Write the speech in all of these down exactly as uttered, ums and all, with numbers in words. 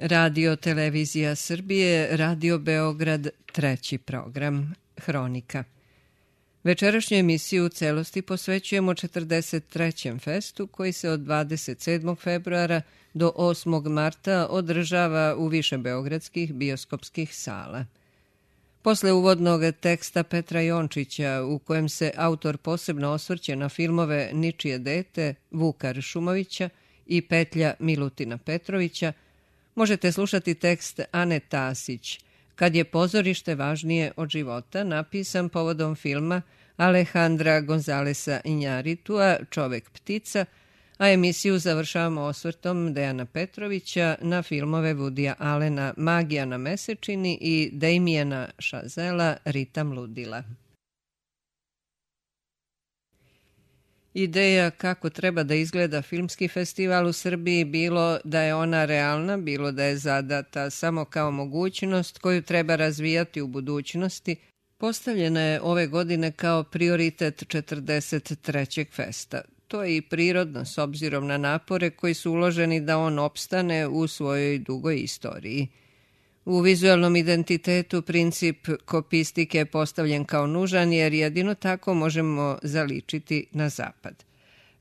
Radio Televizija Srbije, Radio Beograd, treći program, Hronika. Večerašnju emisiju u celosti posvećujemo četrdeset trećem festu koji se od dvadeset sedmog februara do osmog marta održava u više beogradskih bioskopskih sala. Posle uvodnog teksta Petra Jončića, u kojem se autor posebno osvrće na filmove Ničije dete, Vuka Ršumovića i Petlja Milutina Petrovića, možete slušati tekst Ane Tasić, Kad je pozorište važnije od života, napisan povodom filma Alejandra Gonzalesa Injaritua, Čovek ptica, a emisiju završavamo osvrtom Dejana Petrovića na filmove Woodya Allena Magija na mesečini i Damiena Chazela Ritam ludila. Ideja kako treba da izgleda filmski festival u Srbiji, bilo da je ona realna, bilo da je zadata samo kao mogućnost koju treba razvijati u budućnosti, postavljena je ove godine kao prioritet četrdeset trećeg festa. To je i prirodno s obzirom na napore koji su uloženi da on opstane u svojoj dugoj istoriji. U vizualnom identitetu princip kopistike je postavljen kao nužan jer jedino tako možemo zaličiti na zapad.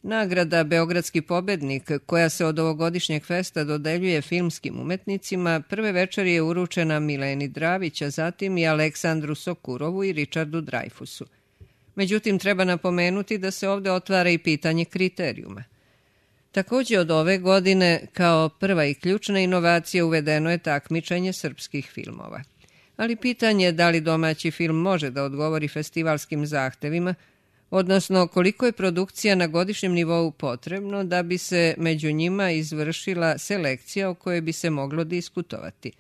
Nagrada Beogradski pobednik, koja se od ovogodišnjeg festa dodeljuje filmskim umetnicima, prve večeri je uručena Mileni Dravić, a zatim i Aleksandru Sokurovu i Richardu Dreyfusu. Međutim, treba napomenuti da se ovde otvara i pitanje kriterijuma. Također od ove godine, kao prva i ključna inovacija, uvedeno je takmičenje srpskih filmova. Ali pitanje je da li domaći film može da odgovori festivalskim zahtevima, odnosno koliko je produkcija na godišnjem nivou potrebno da bi se među njima izvršila selekcija o kojoj bi se moglo diskutovati.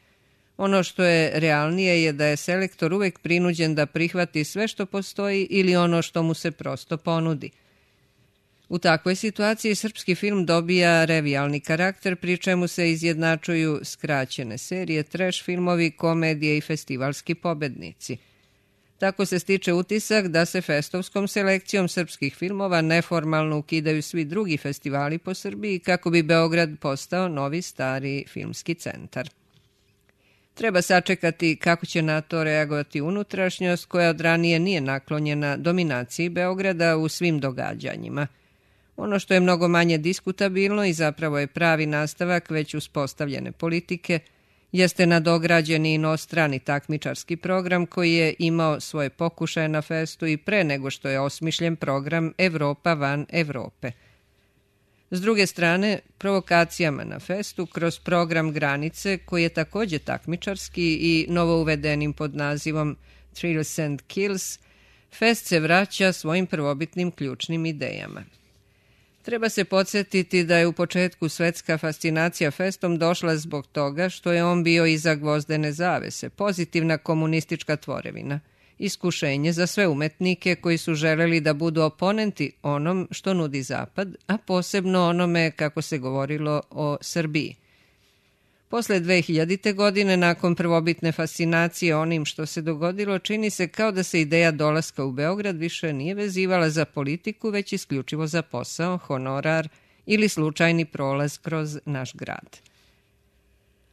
Ono što je realnije je da je selektor uvek prinuđen da prihvati sve što postoji ili ono što mu se prosto ponudi. U takvoj situaciji srpski film dobija revijalni karakter, pri čemu se izjednačuju skraćene serije, trash filmovi, komedije i festivalski pobednici. Tako se stiče utisak da se festovskom selekcijom srpskih filmova neformalno ukidaju svi drugi festivali po Srbiji kako bi Beograd postao novi stari filmski centar. Treba sačekati kako će na to reagovati unutrašnjost koja od ranije nije naklonjena dominaciji Beograda u svim događanjima. Ono što je mnogo manje diskutabilno i zapravo je pravi nastavak već uspostavljene politike, jeste nadograđeni inostrani takmičarski program koji je imao svoje pokušaje na festu i pre nego što je osmišljen program Evropa van Evrope. S druge strane, provokacijama na festu kroz program Granice, koji je također takmičarski i novo uvedenim pod nazivom Thrills and Kills, fest se vraća svojim prvobitnim ključnim idejama. Treba se podsjetiti da je u početku svetska fascinacija festom došla zbog toga što je on bio iza gvozdene zavese, pozitivna komunistička tvorevina, iskušenje za sve umetnike koji su želeli da budu oponenti onom što nudi Zapad, a posebno onome kako se govorilo o Srbiji. Posle dve hiljadite. godine, nakon prvobitne fascinacije onim što se dogodilo, čini se kao da se ideja dolaska u Beograd više nije vezivala za politiku, već isključivo za posao, honorar ili slučajni prolaz kroz naš grad.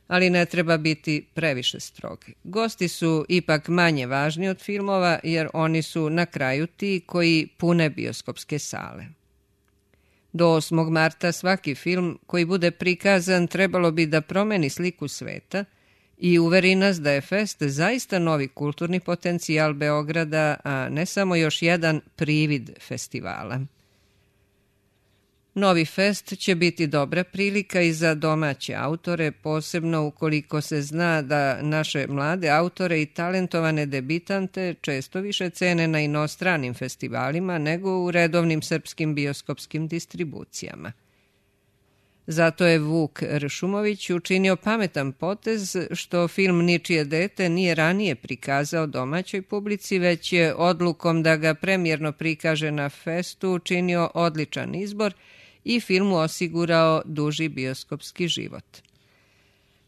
Ali ne treba biti previše strogi. Gosti su ipak manje važni od filmova jer oni su na kraju ti koji pune bioskopske sale. Do osmog marta svaki film koji bude prikazan trebalo bi da promeni sliku sveta i uveri nas da je fest zaista novi kulturni potencijal Beograda, a ne samo još jedan privid festivala. Novi fest će biti dobra prilika i za domaće autore, posebno ukoliko se zna da naše mlade autore i talentovane debitante često više cene na inostranim festivalima nego u redovnim srpskim bioskopskim distribucijama. Zato je Vuk Ršumović učinio pametan potez što film Ničije dete nije ranije prikazao domaćoj publici, već je odlukom da ga premijerno prikaže na festu učinio odličan izbor i filmu osigurao duži bioskopski život.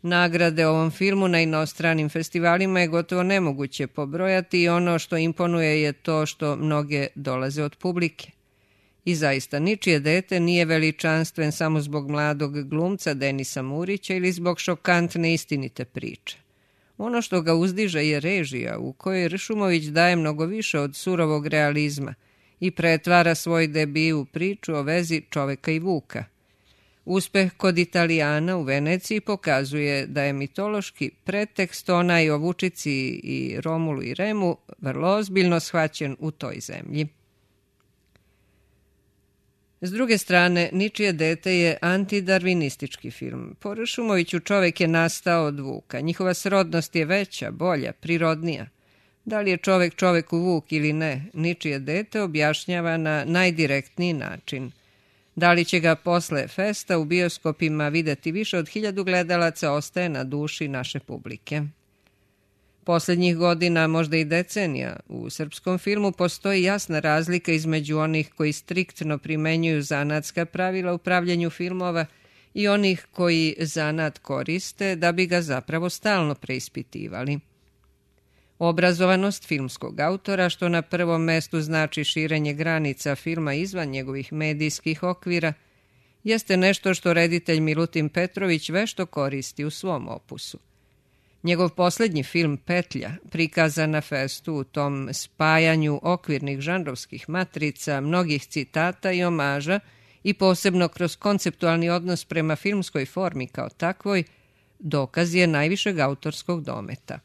Nagrade ovom filmu na inostranim festivalima je gotovo nemoguće pobrojati i ono što imponuje je to što mnoge dolaze od publike. I zaista, ničije dete nije veličanstven samo zbog mladog glumca Denisa Murića ili zbog šokantne istinite priče. Ono što ga uzdiže je režija u kojoj Ršumović daje mnogo više od surovog realizma i pretvara svoj debi u priču o vezi čoveka i vuka. Uspeh kod Italijana u Veneciji pokazuje da je mitološki pretekst onaj o Vučici i Romulu i Remu vrlo ozbiljno shvaćen u toj zemlji. S druge strane, Ničije dete je antidarvinistički film. Po Ršumoviću čovek je nastao od vuka. Njihova srodnost je veća, bolja, prirodnija. Da li je čovek čoveku vuk ili ne, Ničije dete objašnjava na najdirektniji način. Da li će ga posle festa u bioskopima videti više od hiljadu gledalaca ostaje na duši naše publike. Poslednjih godina, možda i decenija, u srpskom filmu postoji jasna razlika između onih koji striktno primenjuju zanatska pravila u pravljenju filmova i onih koji zanat koriste da bi ga zapravo stalno preispitivali. Obrazovanost filmskog autora, što na prvom mestu znači širenje granica filma izvan njegovih medijskih okvira, jeste nešto što reditelj Milutin Petrović vešto koristi u svom opusu. Njegov poslednji film Petlja, prikazan na festu u tom spajanju okvirnih žanrovskih matrica, mnogih citata i omaža i posebno kroz konceptualni odnos prema filmskoj formi kao takvoj, dokaz je najvišeg autorskog dometa.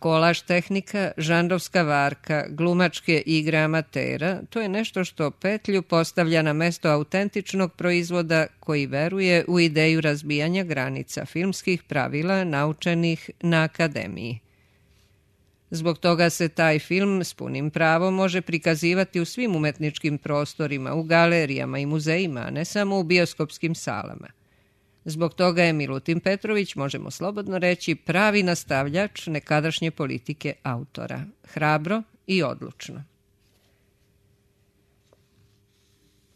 Kolaž tehnika, žanrovska varka, glumačke igre amatera, to je nešto što Petlju postavlja na mesto autentičnog proizvoda koji veruje u ideju razbijanja granica filmskih pravila naučenih na akademiji. Zbog toga se taj film s punim pravom može prikazivati u svim umetničkim prostorima, u galerijama i muzejima, a ne samo u bioskopskim salama. Zbog toga je Milutin Petrović, možemo slobodno reći, pravi nastavljač nekadašnje politike autora. Hrabro i odlučno.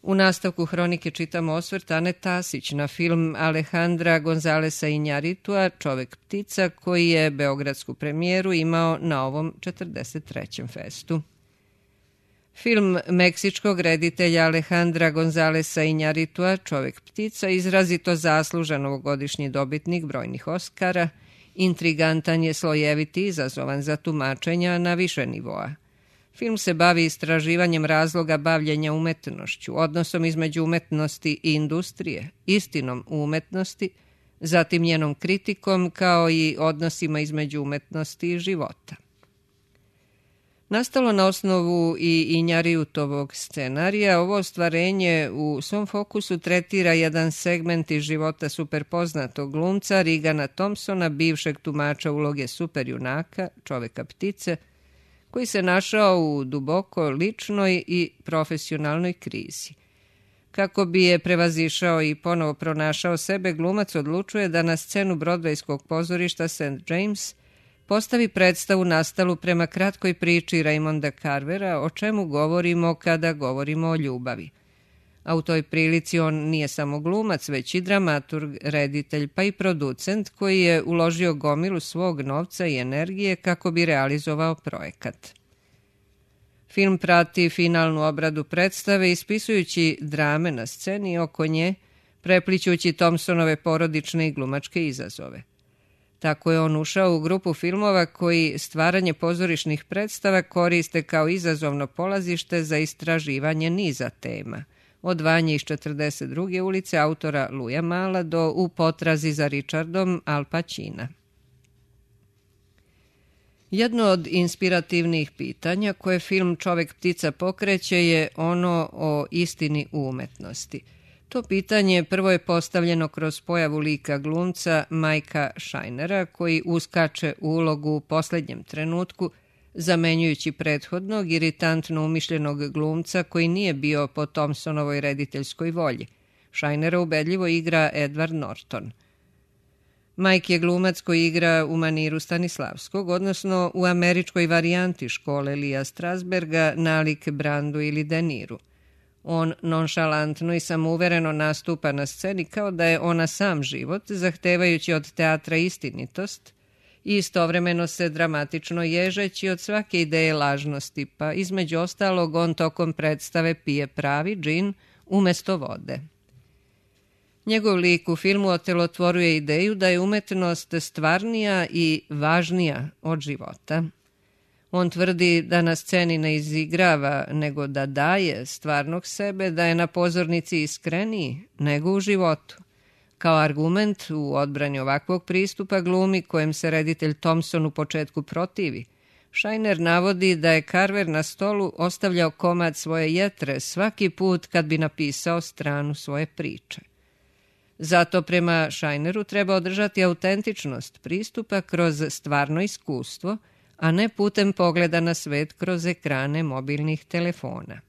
U nastavku hronike čitamo osvrt Ane Tasić na film Alejandra Gonzalesa Iñárritua Čovek ptica, koji je beogradsku premijeru imao na ovom četrdeset trećem festu. Film meksičkog reditelja Alejandra Gonzalesa Iñárritua Čovek ptica, izrazito zaslužan ovogodišnji dobitnik brojnih Oskara, intrigantan je, slojevit i izazovan za tumačenja na više nivoa. Film se bavi istraživanjem razloga bavljenja umetnošću, odnosom između umetnosti i industrije, istinom u umetnosti, zatim njenom kritikom kao i odnosima između umetnosti i života. Nastalo na osnovu i Iñárritovog scenarija, ovo ostvarenje u svom fokusu tretira jedan segment iz života superpoznatog glumca Rigana Thompsona, bivšeg tumača uloge superjunaka, čoveka ptice, koji se našao u duboko ličnoj i profesionalnoj krizi. Kako bi je prevazišao i ponovo pronašao sebe, glumac odlučuje da na scenu Brodvejskog pozorišta Saint James postavi predstavu nastalu prema kratkoj priči Raymonda Carvera, o čemu govorimo kada govorimo o ljubavi. A u toj prilici on nije samo glumac, već i dramaturg, reditelj, pa i producent koji je uložio gomilu svog novca i energije kako bi realizovao projekat. Film prati finalnu obradu predstave ispisujući drame na sceni oko nje, preplićući Thompsonove porodične i glumačke izazove. Tako je on ušao u grupu filmova koji stvaranje pozorišnih predstava koriste kao izazovno polazište za istraživanje niza tema, od Vanje iz četrdeset druge ulice autora Luja Mala do U potrazi za Richardom Al Pacina. Jedno od inspirativnih pitanja koje film Čovek ptica pokreće je ono o istini u umetnosti. To pitanje prvo je postavljeno kroz pojavu lika glumca Majka Šajnera, koji uskače u ulogu u poslednjem trenutku, zamenjujući prethodnog iritantno umišljenog glumca koji nije bio po Thompsonovoj rediteljskoj volji. Šajnera ubedljivo igra Edward Norton. Mike je glumac koji igra u maniru Stanislavskog, odnosno u američkoj varijanti škole Lija Strasberga nalik Brandu ili De Niru. On nonšalantno i samouvereno nastupa na sceni kao da je ona sam život, zahtevajući od teatra istinitost i istovremeno se dramatično ježeći od svake ideje lažnosti, pa između ostalog on tokom predstave pije pravi džin umjesto vode. Njegov lik u filmu otelotvoruje ideju da je umetnost stvarnija i važnija od života. On tvrdi da na sceni ne izigrava, nego da daje stvarnog sebe, da je na pozornici iskreniji nego u životu. Kao argument u odbrani ovakvog pristupa glumi kojem se reditelj Thompson u početku protivi, Shiner navodi da je Carver na stolu ostavljao komad svoje jetre svaki put kad bi napisao stranu svoje priče. Zato prema Shineru treba održati autentičnost pristupa kroz stvarno iskustvo, a ne putem pogleda na svet kroz ekrane mobilnih telefona.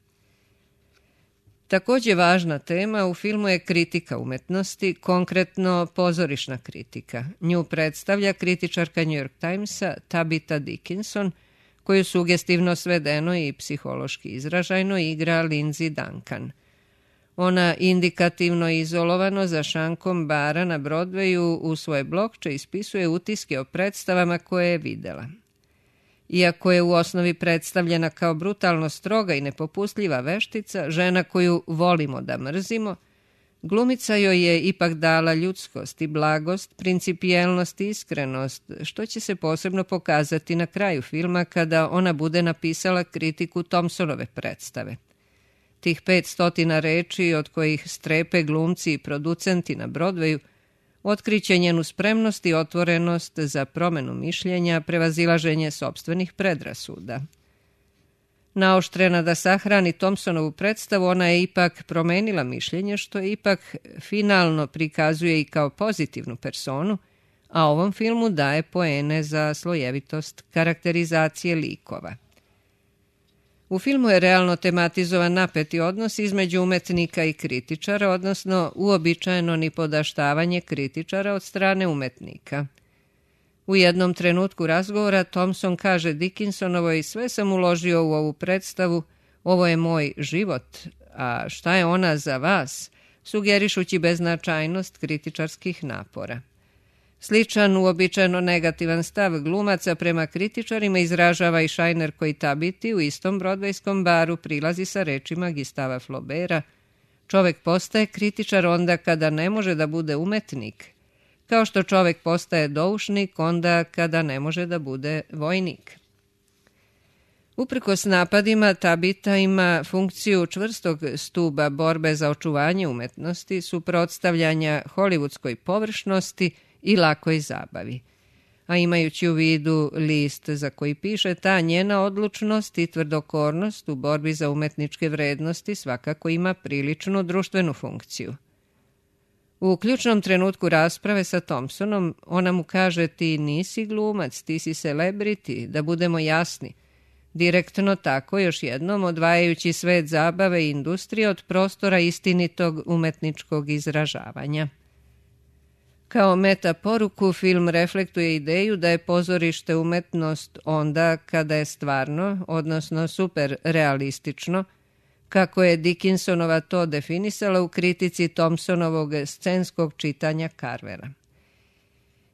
Također važna tema u filmu je kritika umetnosti, konkretno pozorišna kritika. Nju predstavlja kritičarka New York Timesa Tabitha Dickinson, koju sugestivno svedeno i psihološki izražajno igra Lindsay Duncan. Ona indikativno i izolovano za šankom bara na Broadwayu u svoje blogče ispisuje utiske o predstavama koje je videla. Iako je u osnovi predstavljena kao brutalno stroga i nepopustljiva veštica, žena koju volimo da mrzimo, glumica joj je ipak dala ljudskost i blagost, principijelnost i iskrenost, što će se posebno pokazati na kraju filma kada ona bude napisala kritiku Thompsonove predstave. Tih pet stotina reči, od kojih strepe glumci i producenti na Broadwayu, otkriće njenu spremnost i otvorenost za promenu mišljenja, prevazilaženje sopstvenih predrasuda. Naoštrena da sahrani Thompsonovu predstavu, ona je ipak promenila mišljenje, što je ipak finalno prikazuje i kao pozitivnu personu, a ovom filmu daje poene za slojevitost karakterizacije likova. U filmu je realno tematizovan napeti odnos između umetnika i kritičara, odnosno uobičajeno nipodaštavanje kritičara od strane umetnika. U jednom trenutku razgovora Thompson kaže Dickinsonovoj: sve sam uložio u ovu predstavu, ovo je moj život, a šta je ona za vas, sugerišući beznačajnost kritičarskih napora. Sličan, uobičajeno negativan stav glumaca prema kritičarima izražava i Shiner koji Tabiti u istom brodvejskom baru prilazi sa rečima Gustava Flaubera: čovek postaje kritičar onda kada ne može da bude umetnik, kao što čovek postaje doušnik onda kada ne može da bude vojnik. Uprkos napadima, Tabita ima funkciju čvrstog stuba borbe za očuvanje umetnosti, suprotstavljanja hollywoodskoj površnosti i lakoj zabavi. A imajući u vidu list za koji piše, ta njena odlučnost i tvrdokornost u borbi za umetničke vrednosti svakako ima priličnu društvenu funkciju. U ključnom trenutku rasprave sa Thompsonom ona mu kaže: ti nisi glumac, ti si celebrity, da budemo jasni. Direktno tako, još jednom odvajajući svet zabave i industrije od prostora istinitog umetničkog izražavanja. Kao meta poruku, film reflektuje ideju da je pozorište umetnost onda kada je stvarno, odnosno super realistično, kako je Dickinsonova to definisala u kritici Thompsonovog scenskog čitanja Carvera.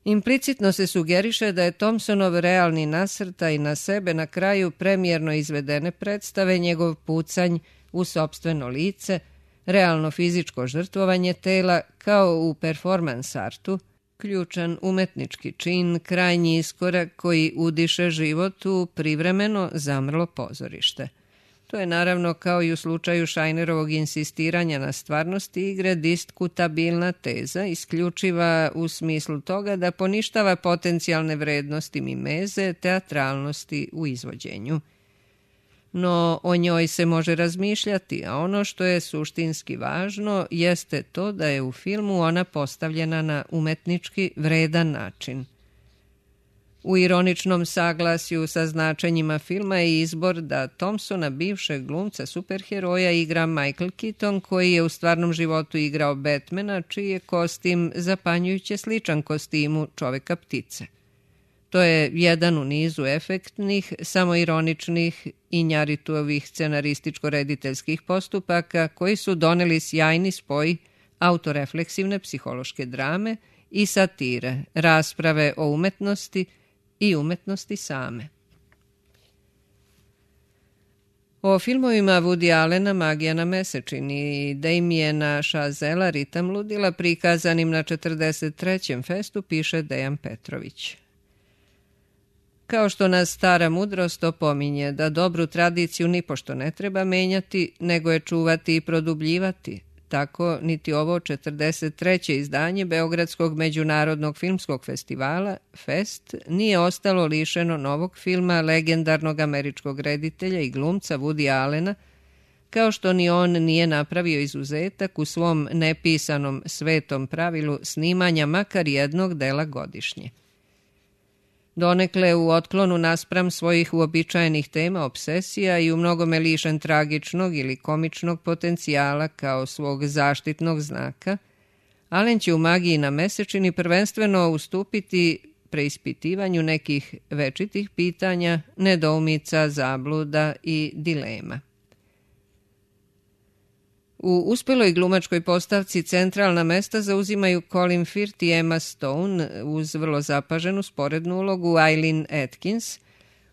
Implicitno se sugeriše da je Thompsonov realni nasrtaj na sebe na kraju premijerno izvedene predstave njegov pucanj u sopstveno lice, realno fizičko žrtvovanje tela kao u performans artu, ključan umetnički čin, krajnji iskorak koji udiše život u privremeno zamrlo pozorište. To je naravno, kao i u slučaju Shinerovog insistiranja na stvarnosti igre, diskutabilna teza, isključiva u smislu toga da poništava potencijalne vrednosti mimeze, teatralnosti u izvođenju. No o njoj se može razmišljati, a ono što je suštinski važno jeste to da je u filmu ona postavljena na umetnički vredan način. U ironičnom saglasju sa značenjima filma je izbor da Thompsona, bivšeg glumca superheroja, igra Michael Keaton, koji je u stvarnom životu igrao Batmana, čiji je kostim zapanjujuće sličan kostimu čoveka ptice. To je jedan u nizu efektnih, samoironičnih i Njaritovih scenarističko-rediteljskih postupaka koji su doneli sjajni spoj autorefleksivne psihološke drame i satire, rasprave o umetnosti i umetnosti same. O filmovima Woody Allena Magija na mesečini i Damiena Chazela Ritam ludila prikazanim na četrdeset trećem festu piše Dejan Petrović. Kao što nas stara mudrost opominje da dobru tradiciju nipošto ne treba menjati, nego je čuvati i produbljivati, tako niti ovo četrdeset treće izdanje Beogradskog međunarodnog filmskog festivala, Fest, nije ostalo lišeno novog filma legendarnog američkog reditelja i glumca Woody Allena, kao što ni on nije napravio izuzetak u svom nepisanom svetom pravilu snimanja makar jednog dela godišnje. Donekle u otklonu naspram svojih uobičajenih tema obsesija i u mnogome lišen tragičnog ili komičnog potencijala kao svog zaštitnog znaka, Allen će u Magiji na mesečini prvenstveno ustupiti preispitivanju nekih večitih pitanja, nedoumica, zabluda i dilema. U uspeloj glumačkoj postavci centralna mesta zauzimaju Colin Firth i Emma Stone uz vrlo zapaženu sporednu ulogu Eileen Atkins,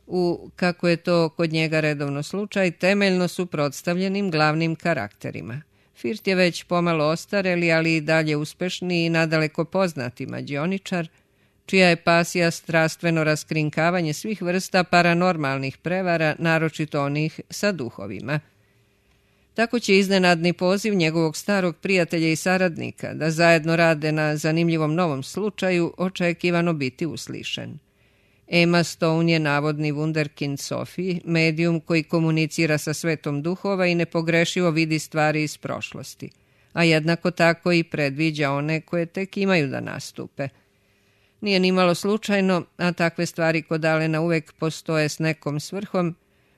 u, kako je to kod njega redovno slučaj, temeljno suprotstavljenim glavnim karakterima. Firth je već pomalo ostareli, ali i dalje uspešni i nadaleko poznati mađioničar, čija je pasija strastveno raskrinkavanje svih vrsta paranormalnih prevara, naročito onih sa duhovima. Tako će iznenadni poziv njegovog starog prijatelja i saradnika da zajedno rade na zanimljivom novom slučaju očekivano biti uslišen. Emma Stone je navodni wunderkind Sophie, medijum koji komunicira sa svetom duhova i nepogrešivo vidi stvari iz prošlosti, a jednako tako i predviđa one koje tek imaju da nastupe. Nije nimalo slučajno, a takve stvari kod Allena uvek postoje s nekom svrhom,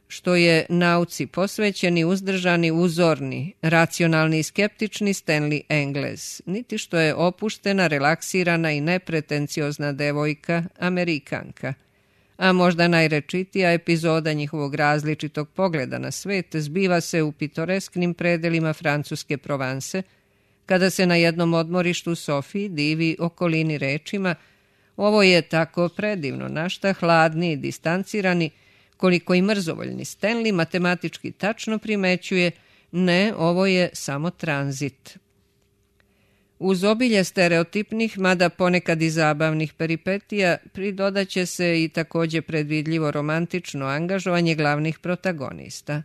što je nauci posvećeni, uzdržani, uzorni, racionalni i skeptični Stanley Engles, niti što je opuštena, relaksirana i nepretenciozna devojka, Amerikanka. A možda najrečitija epizoda njihovog različitog pogleda na svet zbiva se u pitoresknim predelima francuske Provanse, kada se na jednom odmorištu Sophie divi okolini rečima: "Ovo je tako predivno, našta hladni i distancirani, koliko i mrzovoljni Stanley matematički tačno primećuje, ne, ovo je samo tranzit." Uz obilje stereotipnih, mada ponekad i zabavnih peripetija, pridodaće se i takođe predvidljivo romantično angažovanje glavnih protagonista.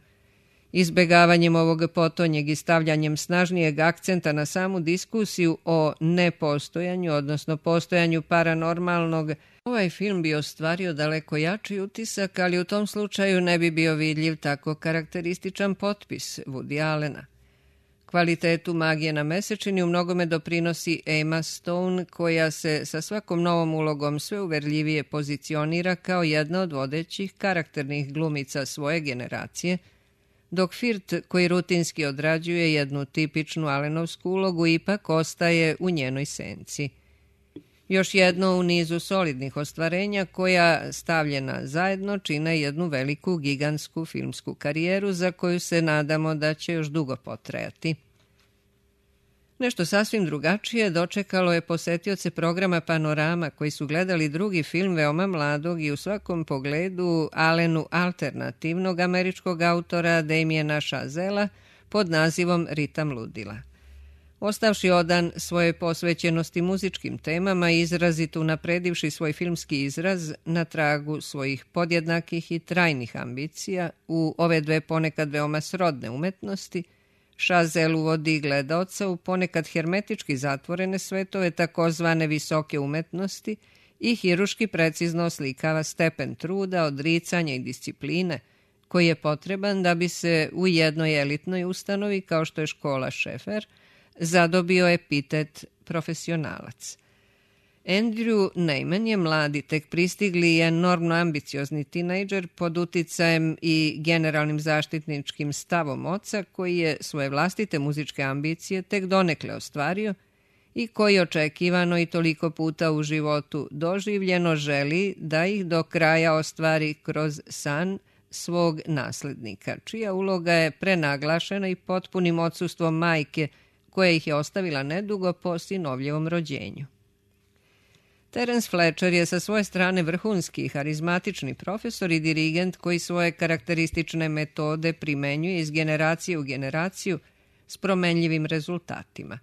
Izbegavanjem ovog potonjeg i stavljanjem snažnijeg akcenta na samu diskusiju o nepostojanju, odnosno postojanju paranormalnog, ovaj film bi ostvario daleko jači utisak, ali u tom slučaju ne bi bio vidljiv tako karakterističan potpis Woody Allena. Kvalitetu Magije na mesečini u mnogome doprinosi Emma Stone, koja se sa svakom novom ulogom sve uverljivije pozicionira kao jedna od vodećih karakternih glumica svoje generacije, dok Firth, koji rutinski odrađuje jednu tipičnu Allenovsku ulogu, ipak ostaje u njenoj senci. Još jedno u nizu solidnih ostvarenja koja, stavljena zajedno, čine jednu veliku gigantsku filmsku karijeru za koju se nadamo da će još dugo potrajati. Nešto sasvim drugačije dočekalo je posetioce programa Panorama, koji su gledali drugi film veoma mladog i u svakom pogledu Allenu alternativnog američkog autora Damiena Chazela pod nazivom Ritam ludila. Ostavši odan svoje posvećenosti muzičkim temama i izrazito unapredivši svoj filmski izraz na tragu svojih podjednakih i trajnih ambicija u ove dve ponekad veoma srodne umetnosti, Chazelle uvodi gledaoca u ponekad hermetički zatvorene svetove takozvane visoke umetnosti i hiruški precizno oslikava stepen truda, odricanja i discipline koji je potreban da bi se u jednoj elitnoj ustanovi kao što je škola Šefer zadobio epitet profesionalac. Andrew Neiman je mladi, tek pristigli i enormno ambiciozni tinejdžer pod uticajem i generalnim zaštitničkim stavom oca, koji je svoje vlastite muzičke ambicije tek donekle ostvario i koji očekivano i toliko puta u životu doživljeno želi da ih do kraja ostvari kroz san svog naslednika, čija uloga je prenaglašena i potpunim odsustvom majke koja ih je ostavila nedugo po sinovljevom rođenju. Terence Fletcher je sa svoje strane vrhunski, harizmatični profesor i dirigent koji svoje karakteristične metode primenjuje iz generacije u generaciju s promenljivim rezultatima.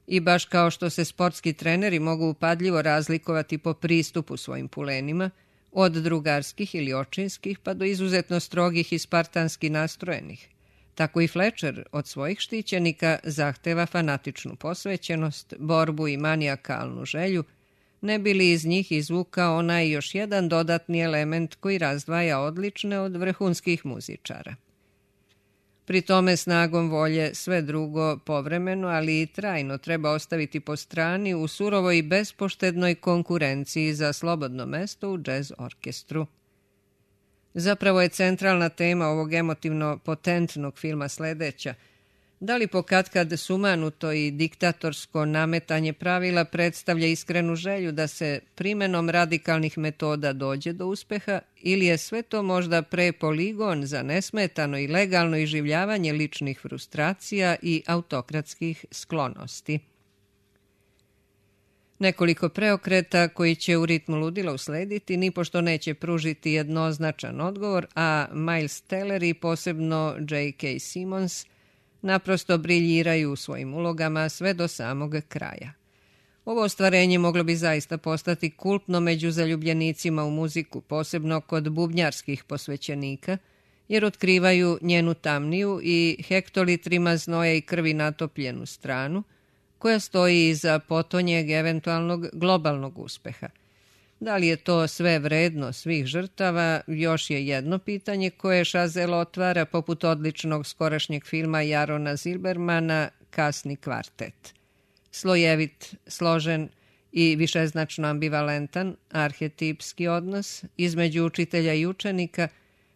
I baš kao što se sportski treneri mogu upadljivo razlikovati po pristupu svojim pulenima, od drugarskih ili očinskih pa do izuzetno strogih i spartanski nastrojenih, tako i Fletcher od svojih štićenika zahteva fanatičnu posvećenost, borbu i manijakalnu želju, ne bi li iz njih izvukao onaj još jedan dodatni element koji razdvaja odlične od vrhunskih muzičara. Pri tome snagom volje sve drugo povremeno, ali i trajno treba ostaviti po strani u surovoj i bespoštednoj konkurenciji za slobodno mesto u džez orkestru. Zapravo je centralna tema ovog emotivno potentnog filma sledeća: da li pokatkad sumanuto i diktatorsko nametanje pravila predstavlja iskrenu želju da se primenom radikalnih metoda dođe do uspeha, ili je sve to možda pre poligon za nesmetano i legalno iživljavanje ličnih frustracija i autokratskih sklonosti. Nekoliko preokreta koji će u ritmu ludila uslediti nipošto neće pružiti jednoznačan odgovor, a Miles Teller i posebno J K. Simmons naprosto briljiraju u svojim ulogama sve do samog kraja. Ovo ostvarenje moglo bi zaista postati kultno među zaljubljenicima u muziku, posebno kod bubnjarskih posvećenika, jer otkrivaju njenu tamniju i hektolitrima znoja i krvi natopljenu stranu, koja stoji iza potonjeg eventualnog globalnog uspeha. Da li je to sve vredno svih žrtava, još je jedno pitanje koje Chazelle otvara poput odličnog skorašnjeg filma Jarona Zilbermana Kasni kvartet. Slojevit, složen i višeznačno ambivalentan arhetipski odnos između učitelja i učenika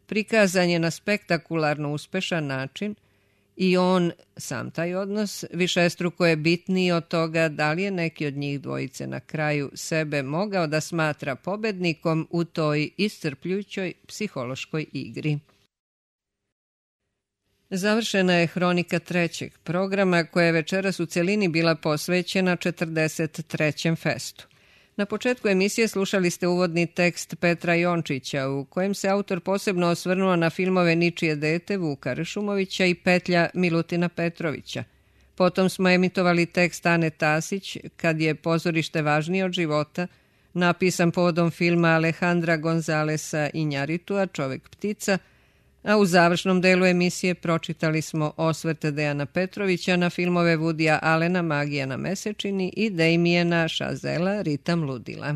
prikazan je na spektakularno uspešan način i on, sam taj odnos, višestruko je bitniji od toga da li je neki od njih dvojice na kraju sebe mogao da smatra pobednikom u toj iscrpljujućoj psihološkoj igri. Završena je hronika trećeg programa koja je večeras u celini bila posvećena četrdeset trećem festu. Na početku emisije slušali ste uvodni tekst Petra Jončića u kojem se autor posebno osvrnuo na filmove Ničije dete Vuka Ršumovića i Petlja Milutina Petrovića. Potom smo emitovali tekst Ane Tasić Kad je pozorište važnije od života, napisan povodom filma Alejandra Gonzalesa Injaritua Čovek ptica, a u završnom delu emisije pročitali smo osvrte Dejana Petrovića na filmove Woodya Allena Magija na mesečini i Damiena Chazellea Ritam ludila.